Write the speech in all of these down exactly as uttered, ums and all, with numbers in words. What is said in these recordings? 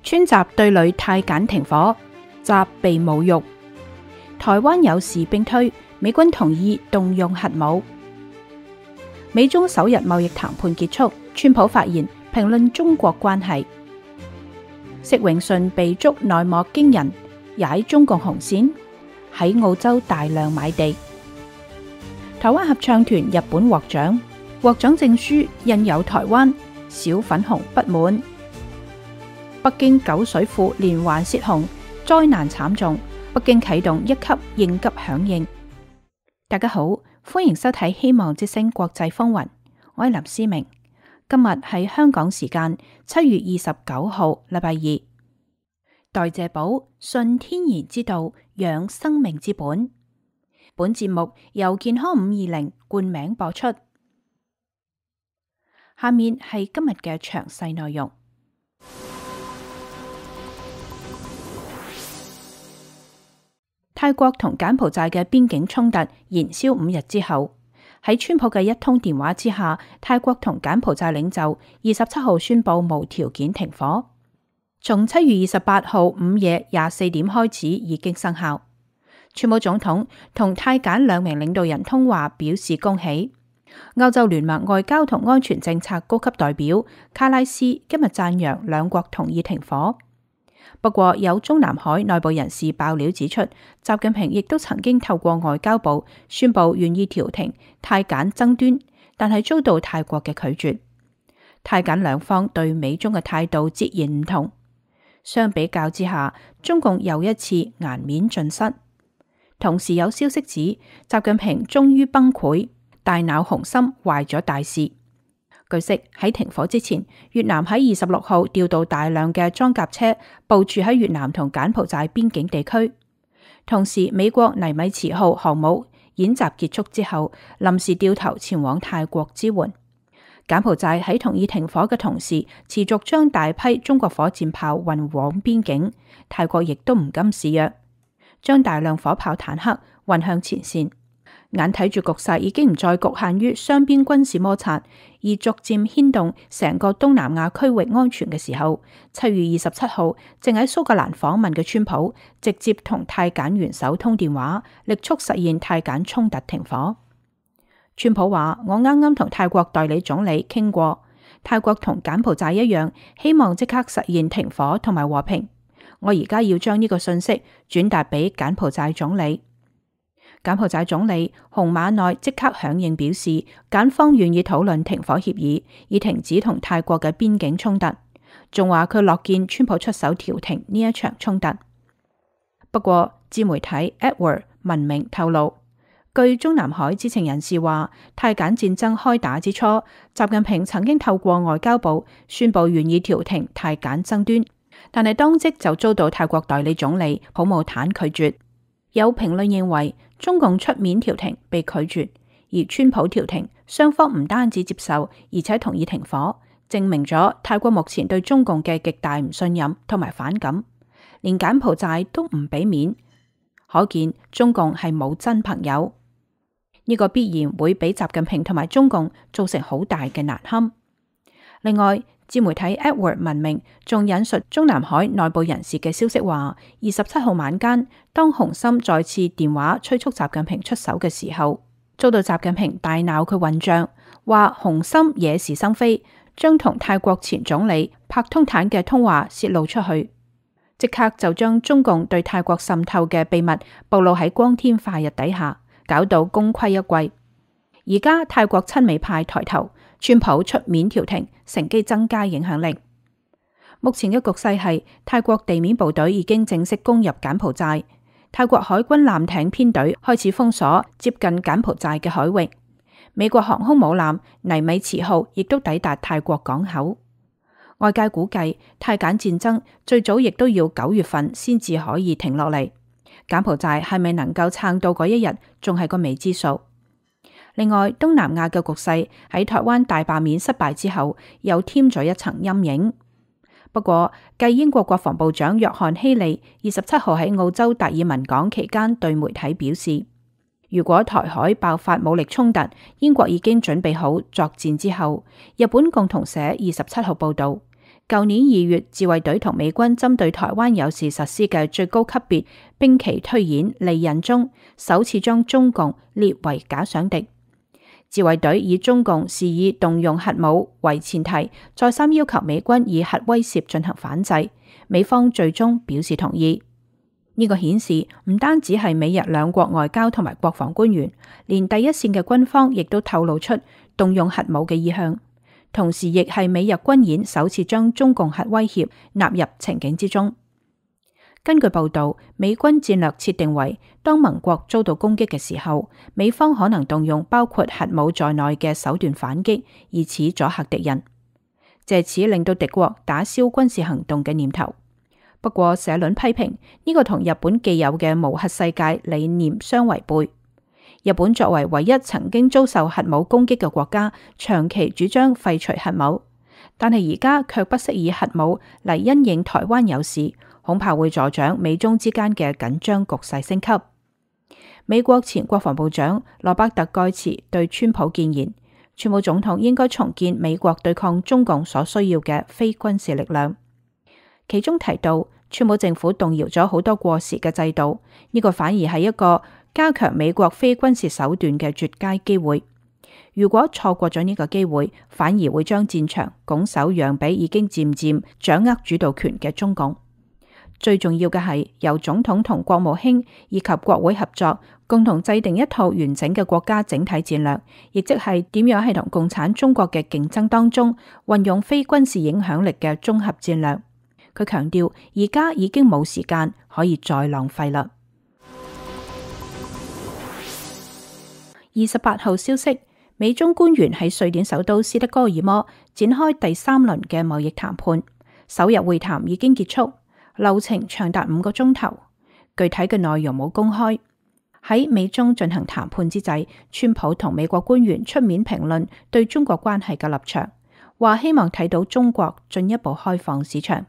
川習對壘泰柬停火，習被侮辱。台灣有事兵推，美軍同意動用核武。美中首日貿易談判結束，川普發言評論中國關係。釋永順被捉內幕驚人，踩中共紅線，喺澳洲大量買地。台灣合唱團日本獲獎，獲獎證書印有台灣，小粉紅不滿。北京九水庫連環泄洪，災難慘重，北京啟動一級應急響應。大家好，歡迎收睇希望之聲國際風雲，我係林思明。今日係香港時間七月二十九號，禮拜二。代謝寶，順天然之道，養生命之本。本節目由健康五二零冠名播出。下面係今日嘅詳細內容。泰國同柬埔寨嘅邊境衝突延燒五日之後，喺川普嘅一通電話之下，泰國同柬埔寨領袖二十七號宣布無條件停火，從七月二十八號午夜廿四點開始已經生效。川普總統同泰柬兩名領導人通話，表示恭喜。歐洲聯盟外交同安全政策高級代表卡拉斯今日讚揚兩國同意停火。不過有中南海內部人士爆料指出，習近平亦都曾經透過外交部宣布願意調停泰柬爭端，但係遭到泰國嘅拒絕。泰柬兩方對美中嘅態度截然唔同。相比較之下，中共又一次顏面盡失。同時有消息指，習近平終於崩潰，大腦紅心壞咗大事。據悉喺停火之前，越南喺二十六號調到大量嘅裝甲車部署喺越南同柬埔寨邊境地區。同時，美國尼米茨號航母演習結束之後，臨時掉頭前往泰國支援。柬埔寨喺同意停火嘅同時，持續將大批中國火箭炮運往邊境。泰國亦都唔甘示弱，將大量火炮坦克運向前線。眼睇住局勢已經唔再局限於雙邊軍事摩擦，而逐漸牽動成個東南亞區域安全嘅時候，七月二十七號正喺蘇格蘭訪問嘅川普直接同泰柬元首通電話，力促實現泰柬衝突停火。川普話：我啱啱同泰國代理總理傾過，泰國同柬埔寨一樣，希望即刻實現停火同埋和平。我而家要將呢個信息轉達俾柬埔寨總理。柬埔寨總理洪馬內即刻響應表示，柬方願意討論停火協議，以停止同泰國嘅邊境衝突，仲話佢樂見川普出手調停呢一場衝突。不過，自媒體 Edward 文明透露，據中南海知情人士話，泰柬戰爭開打之初，習近平曾經透過外交部宣布願意調停泰柬爭端，但係當即就遭到泰國代理總理普姆坦拒絕。有評論認為，中共出面調停被拒絕，而川普調停，雙方唔單止接受，而且同意停火，證明咗泰國目前對中共嘅極大唔信任同埋反感，連柬埔寨都唔俾面，可見中共係冇真朋友。呢個必然會俾習近平同埋中共造成好大嘅難堪。另外，自媒體 Edward 文明仲引述中南海內部人士嘅消息話，二十七號晚間，當洪森再次電話催促習近平出手嘅時候，遭到習近平大鬧佢混賬，話洪森惹是生非，將同泰國前總理帕通坦嘅通話泄露出去，即刻就將中共對泰國滲透嘅秘密暴露喺光天化日底下，搞到功虧一簣。而家泰國親美派抬頭，川普出面調停，乘機增加影響力。目前嘅局勢係泰國地面部隊已經正式攻入柬埔寨，泰國海軍艦艇編隊開始封鎖接近柬埔寨嘅海域，美國航空母艦尼米茨號亦都抵達泰國港口。外界估計泰柬戰爭最早亦都要九月份先至可以停落嚟，柬埔寨係咪能夠撐到嗰一日，仲係個未知數。另外，東南亞嘅局勢喺台灣大罷免失敗之後，又添咗一層陰影。不過，繼英國國防部長約翰希利二十七號喺澳洲達爾文港期間對媒體表示，如果台海爆發武力衝突，英國已經準備好作戰之後，日本共同社二十七號報道，舊年二月，自衛隊同美軍針對台灣有事實施嘅最高級別兵棋推演利刃中，首次將中共列為假想敵。自衛隊以中共是以動用核武為前提，再三要求美軍以核威懾進行反制，美方最終表示同意。呢個顯示唔單止係美日兩國外交同埋國防官員，連第一線嘅軍方亦都透露出動用核武嘅意向。同時，亦係美日軍演首次將中共核威脅納入情景之中。根據報道，美軍戰略設定為，當盟國遭到攻擊嘅時候，美方可能動用包括核武在內嘅手段反擊，以此阻嚇敵人，借此令到敵國打消軍事行動嘅念頭。不過，社論批評呢個同日本既有嘅無核世界理念相違背。日本作為唯一曾經遭受核武攻擊嘅國家，長期主張廢除核武，但係而家卻不惜以核武嚟因應台灣有事，恐怕會助長美中之間嘅緊張局勢升級。美國前國防部長羅伯特蓋茨對川普建言，川普總統應該重建美國對抗中共所需要嘅非軍事力量，其中提到川普政府動搖咗好多過時嘅制度，呢、這個反而係一個加強美國非軍事手段嘅絕佳機會。如果錯過咗呢個機會，反而會將戰場拱手讓俾已經漸漸掌握主導權嘅中共。最重要嘅係由總統同國務卿以及國會合作，共同制定一套完整嘅國家整體戰略，亦即係點樣喺同共產中國嘅競爭當中運用非軍事影響力嘅綜合戰略。佢強調，而家已經冇時間可以再浪費啦。二十八號消息，美中官員喺瑞典首都斯德哥爾摩展開第三輪嘅貿易談判，首日會談已經結束，流程長達五個鐘頭，具體嘅內容冇公開。喺美中進行談判之際，川普同美國官員出面評論對中國關係嘅立場，話希望睇到中國進一步開放市場。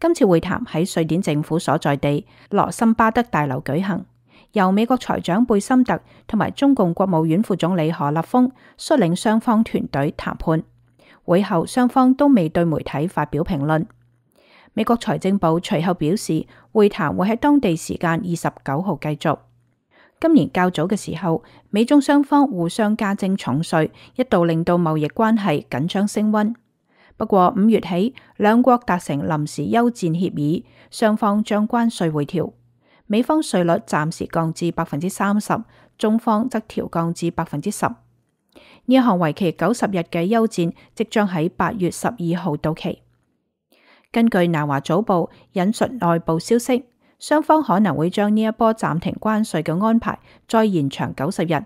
今次會談喺瑞典政府所在地羅森巴德大樓舉行，由美國財長貝森特同埋中共國務院副總理何立峰率領雙方團隊談判。會後雙方都未對媒體發表評論。美國財政部隨後表示，會談會喺當地時間二十九號繼續。今年較早嘅時候，美中雙方互相加徵重稅，一度令到貿易關係緊張升溫。不過五月起，兩國達成臨時休戰協議，雙方將關稅回調，美方稅率暫時降至百分之三十，中方則調降至百分之十。呢一項為期九十日嘅休戰，即將喺八月十二號到期。根據南華早報引述內部消息，雙方可能會將呢一波暫停關稅嘅安排再延長九十日。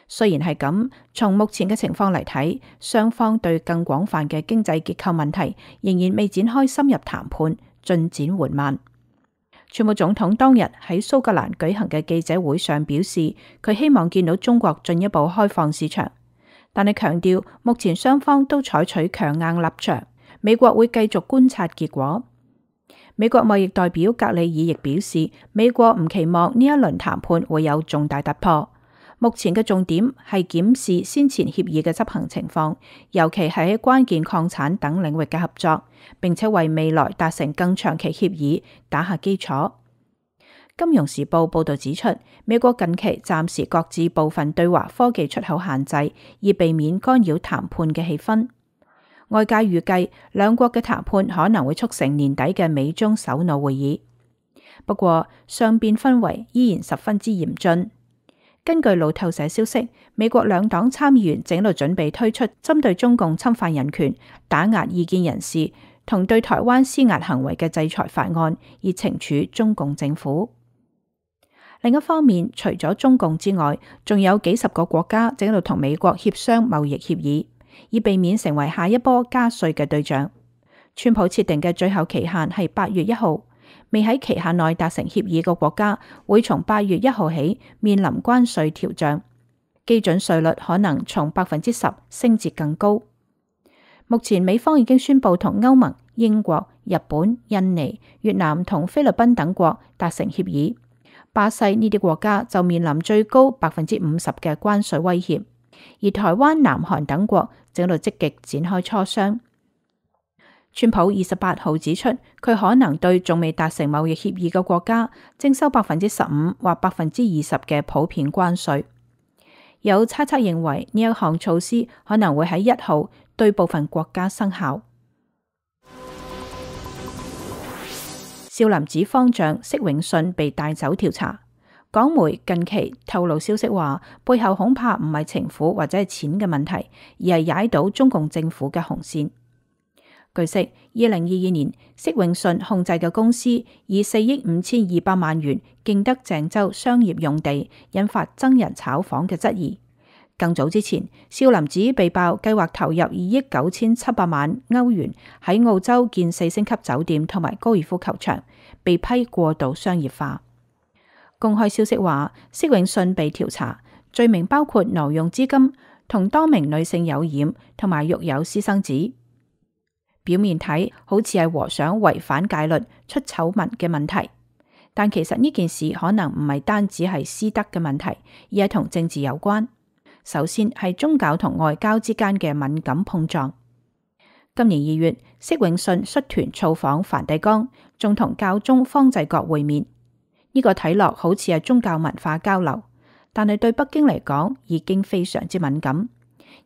雖然係咁，從目前嘅情況嚟睇，雙方對更廣泛嘅經濟結構問題仍然未展開深入談判，進展緩慢。川普總統當日喺蘇格蘭舉行嘅記者會上表示，佢希望見到中國進一步開放市場，但係強調目前雙方都採取強硬立場，美國會繼續觀察結果。美國貿易代表格里爾亦表示，美國唔期望呢一輪談判會有重大突破。目前嘅重點係檢視先前協議嘅執行情況，尤其係喺關鍵礦產等領域嘅合作，並且為未來達成更長期協議打下基礎。金融時報報道指出，美國近期暫時擱置部分對華科技出口限制，以避免干擾談判嘅氣氛。外界預計兩國嘅談判可能會促成年底嘅美中首腦會議。不過，雙邊氛圍依然十分之嚴峻。根據路透社消息，美國兩黨參議員正喺度準備推出針對中共侵犯人權、打壓異見人士同對台灣施壓行為嘅制裁法案，以懲處中共政府。另一方面，除咗中共之外，仲有幾十個國家正喺度同美國協商貿易協議，以避免成為下一波加稅嘅對象。川普設定嘅最後期限係八月一號。未喺期限內達成協議嘅國家會從八月一號起面臨關稅調漲，基準稅率可能從百分之十升至更高。目前美方已經宣布同歐盟、英國、日本、印尼、越南同菲律賓等國達成協議，巴西呢啲國家就面臨最高百分之五十嘅關稅威脅，而台灣、南韓等國正喺度積極展開磋商。川普二十八號指出，佢可能對仲未達成貿易協議嘅國家徵收百分之十五或百分之二十嘅普遍關稅。有猜測認為呢一項措施可能會喺一號對部分國家生效。少林寺方丈釋永信被帶走調查，港媒近期透露消息話，背後恐怕唔係情婦或者係錢嘅問題，而係踩到中共政府嘅紅線。據悉，二零二二年釋永信控制嘅公司以四億五千二百萬元競得鄭州商業用地，引發僧人炒房嘅質疑。更早之前，少林寺被爆計劃投入二億九千七百萬歐元喺澳洲建四星級酒店同埋高爾夫球場，被批過度商業化。公開消息話，釋永信被調查，罪名包括挪用資金、同多名女性有染同埋育有私生子。表面睇好似係和尚違反戒律出醜聞嘅問題，但其實呢件事可能唔係單止係私德嘅問題，而係同政治有關。首先係宗教同外交之間嘅敏感碰撞。今年二月，釋永信率團造訪梵蒂岡，仲同教宗方濟各會面。呢、這個睇落好似係宗教文化交流，但係對北京嚟講已經非常之敏感。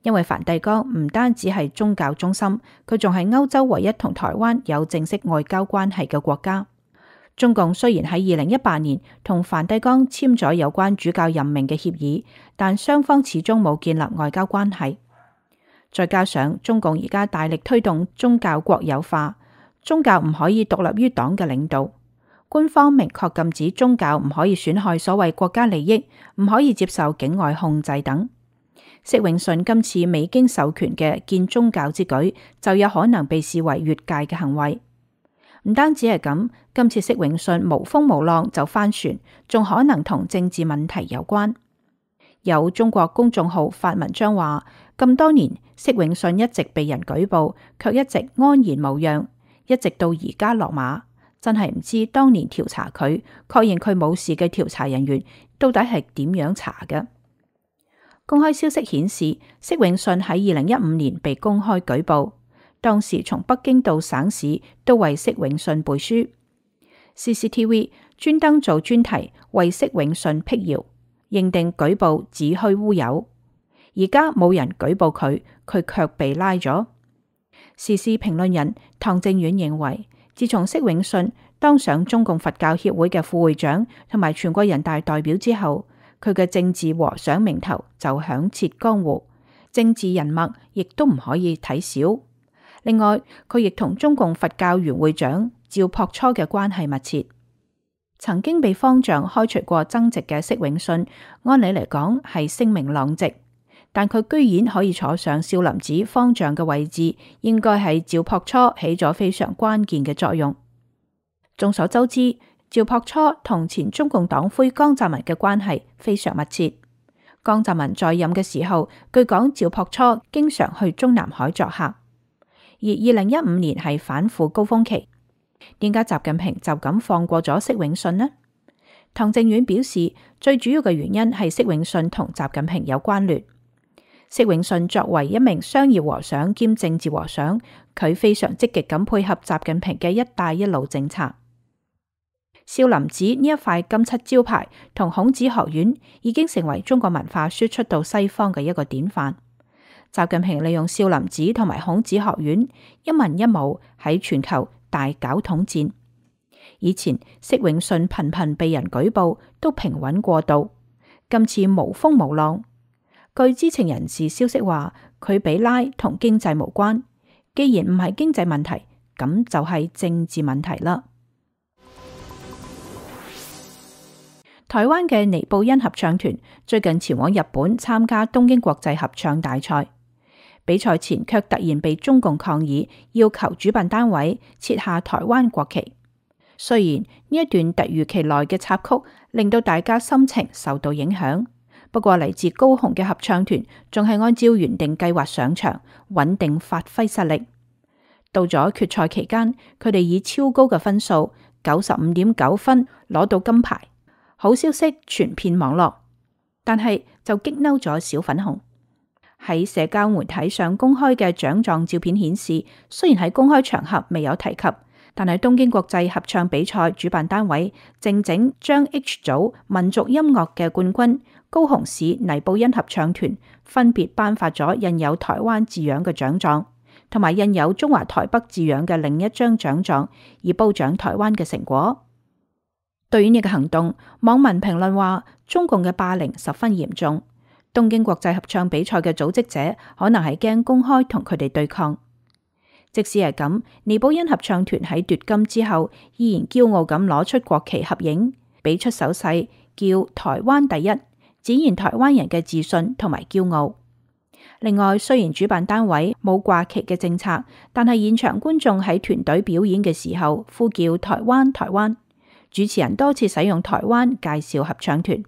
因為梵蒂岡唔單止係宗教中心，佢仲係歐洲唯一同台灣有正式外交關係嘅國家。中共雖然喺二零一八年同梵蒂岡簽咗有關主教任命嘅協議，但雙方始終冇建立外交關係。再加上中共而家大力推動宗教國有化，宗教唔可以獨立於黨嘅領導，官方明確禁止宗教唔可以損害所謂國家利益，唔可以接受境外控制等。釋永信今次未經授權嘅建宗教之舉，就有可能被視為越界嘅行為。唔單止係咁，今次釋永信無風無浪就翻船，仲可能同政治問題有關。有中國公眾號發文章話，咁多年釋永信一直被人舉報，卻一直安然無恙，一直到而家落馬，真係唔知當年調查佢，確認佢冇事嘅調查人員到底係點樣查嘅。公開消息顯示，釋永信喺二零一五年被公開舉報，當時從北京到省市都為釋永信背書。C C T V 專登做專題為釋永信闢謠，認定舉報子虛烏有。而家冇人舉報佢，佢卻被拉咗。時事評論人唐正遠認為，自從釋永信當上中共佛教協會嘅副會長同埋全國人大代表之後，佢嘅政治和尚名頭就響徹江湖，政治人脈亦都唔可以睇小。另外，佢亦同中共佛教原會長趙樸初嘅關係密切。曾經被方丈開除過僧籍嘅釋永信，按理嚟講係聲名狼藉，但佢居然可以坐上少林寺方丈嘅位置，應該係趙樸初起咗非常關鍵嘅作用。眾所周知，趙樸初同前中共黨魁江澤民嘅關係非常密切。江澤民在任嘅時候，據講趙樸初經常去中南海作客。而二零一五年係反腐高峰期，點解習近平就咁放過咗釋永信呢？唐正遠表示，最主要嘅原因係釋永信同習近平有關聯。釋永信作為一名商業和尚兼政治和尚，佢非常積極咁配合習近平嘅一帶一路政策。少林寺呢一塊金漆招牌同孔子學院已經成為中國文化輸出到西方嘅一個典範。習近平利用少林寺同埋孔子學院一文一武喺全球大搞統戰。以前釋永信頻頻被人舉報，都平穩過渡，今次無風無浪。據知情人士消息話，佢被拉同經濟無關，既然唔係經濟問題，咁就係政治問題啦。台灣嘅尼布恩合唱團最近前往日本參加東京國際合唱大賽，比賽前卻突然被中共抗議，要求主辦單位撤下台灣國旗。雖然呢一段突如其來嘅插曲令到大家心情受到影響，不過嚟自高雄嘅合唱團仲係按照原定計劃上場，穩定發揮實力。到咗決賽期間，佢哋以超高嘅分數九十五點九分攞到金牌。好消息傳遍網絡，但係就激嬲咗小粉紅。喺社交媒體上公開嘅獎狀照片顯示，雖然喺公開場合未有提及，但係東京國際合唱比賽主辦單位正正將 H 組民族音樂嘅冠軍高雄市泥埔恩合唱團分別頒發咗印有台灣字樣嘅獎狀，同埋印有中華台北字樣嘅另一張獎狀，以褒獎台灣嘅成果。對於呢個行動，網民評論話，中共嘅霸凌十分嚴重，東京國際合唱比賽嘅組織者可能係驚公開同佢哋對抗。即使係咁，尼布恩合唱團喺奪金之後，依然驕傲咁攞出國旗合影，俾出手勢叫台灣第一，展現台灣人嘅自信同埋驕傲。另外，雖然主辦單位冇掛旗嘅政策，但係現場觀眾喺團隊表演嘅時候呼叫台灣台灣，主持人多次使用台灣介紹合唱團，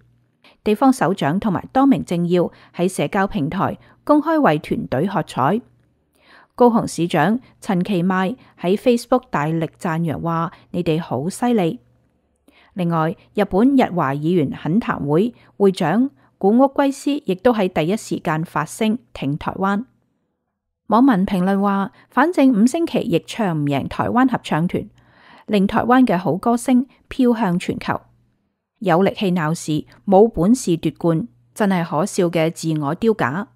地方首長同埋多名政要喺社交平台公開為團隊喝彩。高雄市長陳其邁喺 Facebook 大力讚揚話：你哋好犀利。另外，日本日華議員懇談會會長古屋圭司亦都喺第一時間發聲挺台灣。網民評論話：反正五星旗亦唱唔贏台灣合唱團，令台灣嘅好歌聲飄向全球。有力氣鬧事，冇本事奪冠，真係可笑嘅自我丟架。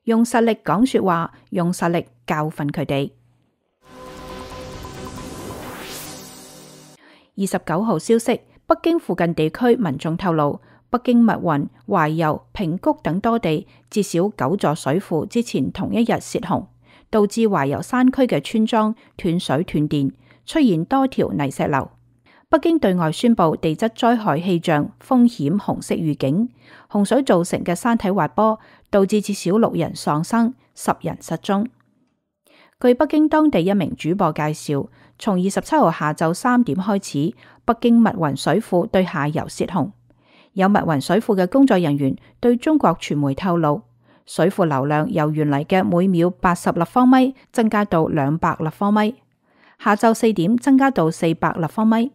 用實力講說話，用實力教訓佢哋。二十九號消息，北京附近地區民眾透露，北京密雲、懷柔、平谷等多地至少九座水庫之前同一日洩洪，導致懷柔山區嘅村莊斷水斷電，出現多條泥石流。北京對外宣布地質災害氣象風險紅色預警，洪水造成嘅山體滑坡導致至少六人喪生，十人失蹤。據北京當地一名主播介紹，從二十七號下晝三點開始，北京密雲水庫對下游洩洪。有密雲水庫嘅工作人員對中國傳媒透露，水庫流量由原嚟嘅每秒八十立方米增加到兩百立方米，下晝四點增加到四百立方米。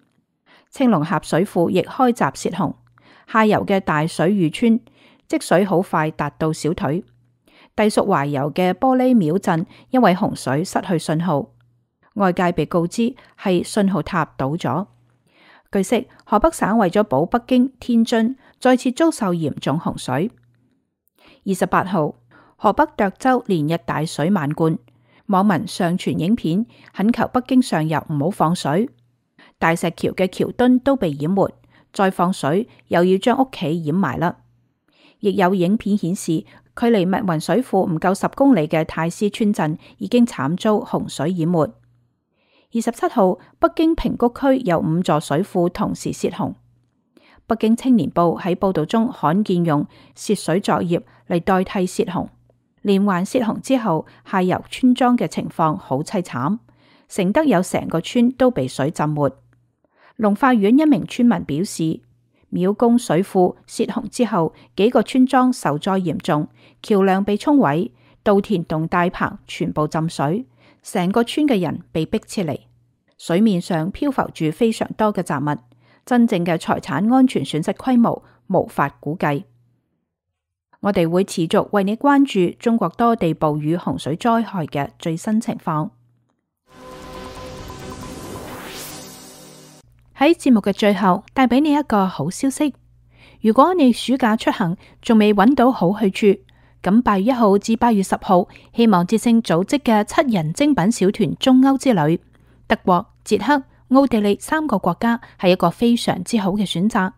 青龍峽水庫亦開閘洩洪，下游嘅大水峪村積水好快達到小腿。隸屬懷柔嘅玻璃廟鎮因為洪水失去信號，外界被告知係信號塔倒咗。據悉，河北省為咗保北京、天津，再次遭受嚴重洪水。二十八號，河北涿州連日大水漫灌，網民上傳影片懇求北京上游唔好放水。大石橋嘅橋墩都被淹沒，再放水又要將屋企淹埋啦。亦有影片顯示，距離密雲水庫唔夠十公里嘅太師村鎮已經慘遭洪水淹沒。二十七號，北京平谷區有五座水庫同時洩洪。北京青年報喺報道中罕見用泄水作業嚟代替洩洪。連環洩洪之後，下游村莊嘅情況好淒慘，承德有成個村都被水浸沒。龍化縣一名村民表示，廟公水庫洩洪之後，幾個村莊受災嚴重，橋樑被沖毀，稻田同大棚全部浸水，成個村嘅人被逼撤離。水面上漂浮住非常多嘅雜物，真正嘅財產安全損失規模無法估計。我哋會持續為你關注中國多地暴雨洪水災害嘅最新情況。喺節目嘅最後，帶俾你一個好消息。如果你暑假出行仲未揾到好去處，咁八月一號至八月十號，希望之聲組織嘅七人精品小團中歐之旅，德國、捷克、奧地利三個國家係一個非常之好嘅選擇。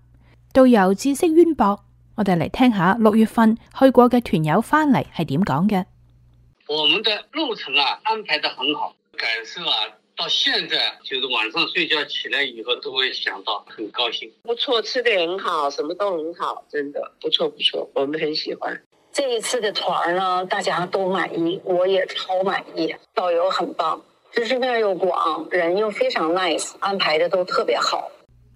導遊知識淵博，我哋嚟聽下六月份去過嘅團友翻嚟係點講嘅。我們的路程啊安排得很好，感受啊。到現在就是晚上睡覺起來以後都會想到，很高興。不錯，吃得很好，什麼都很好，真的不錯不錯，我們很喜歡。這一次的團呢，大家都滿意，我也超滿意。導遊很棒，知識面又廣，人又非常 nice， 安排得都特別好。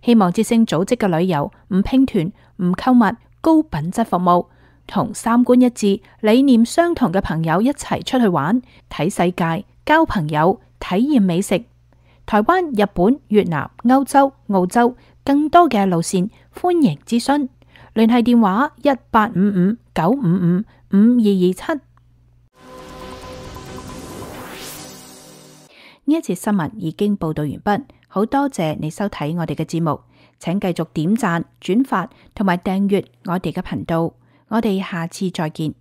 希望之聲組織嘅旅遊唔拼團、唔購物，高品質服務，同三觀一致、理念相同嘅朋友一齊出去玩，睇世界，交朋友。體驗美食，台灣、日本、越南、歐洲、澳洲，更多嘅路線，歡迎諮詢。聯繫電話一八五五九五五五二二七。呢一節新聞已經報道完畢，好多謝你收睇我哋嘅節目，請繼續點讚、轉發同埋訂閱我哋嘅頻道，我哋下次再見。